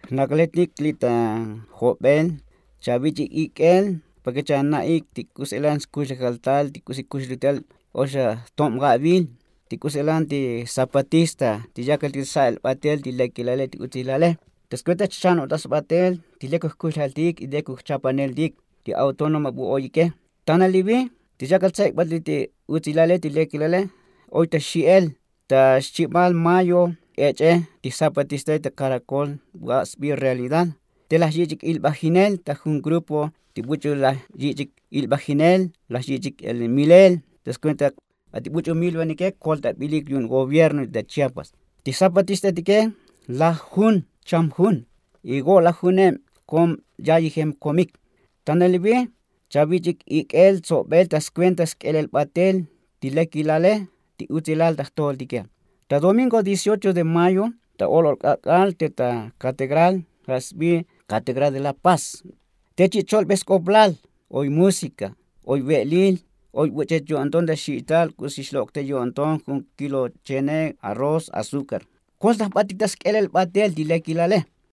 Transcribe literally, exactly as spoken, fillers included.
Jnakletik li' ta jobel chavich'ik ik'el, pake chana'ik ti k'uselan skuxlejal tal ti k'usi kuxlutal oxa jtob ja'vil, ti k'uselan ti zapatista ti yakaltik sa'el batel ti lekilale ti utsilale. Ta skuenta chano'ta sbatel ti lek jkuxlejaltik y lek jchapaneltik ti autónoma bu oyike. Tanalivi ti yakal tsa'ik batel ti utsilale ti lekilale, oy ta xi'el ta xchibal mayo, ech'e ti zapatista ta karakol bu a' sbi realidad. Te laj yich'ik ilbajinel ta jun grupo ti buch'u laj yich'ik ilbajinel, laj yich'ik milel. Ta skuenta a ti buch'u milvanike koltabilik yu'un gobierno ta chiapas. Ti zapatistetike laj jun cham jun, y go' laj juneb kom yayijem komik. Tanalivi chavich'ik ik'el tsobel ta skuenta sk'elel batel ti lekilale ti utsilal ta jtojoltike. Ta domingo dieciocho de mayo ta olol k'ak'al te ta kategral ja' sbi kategral de la paz, te chi' cholbe sk'oplal, oy músika, oy ve'lil, oy buch'ech yo'nton ta xi'tal k'usi xlok' te yo'nton jun kilo chene, arroz, azúkar. Koltaj batik ta sk'elel batel ti lekilale.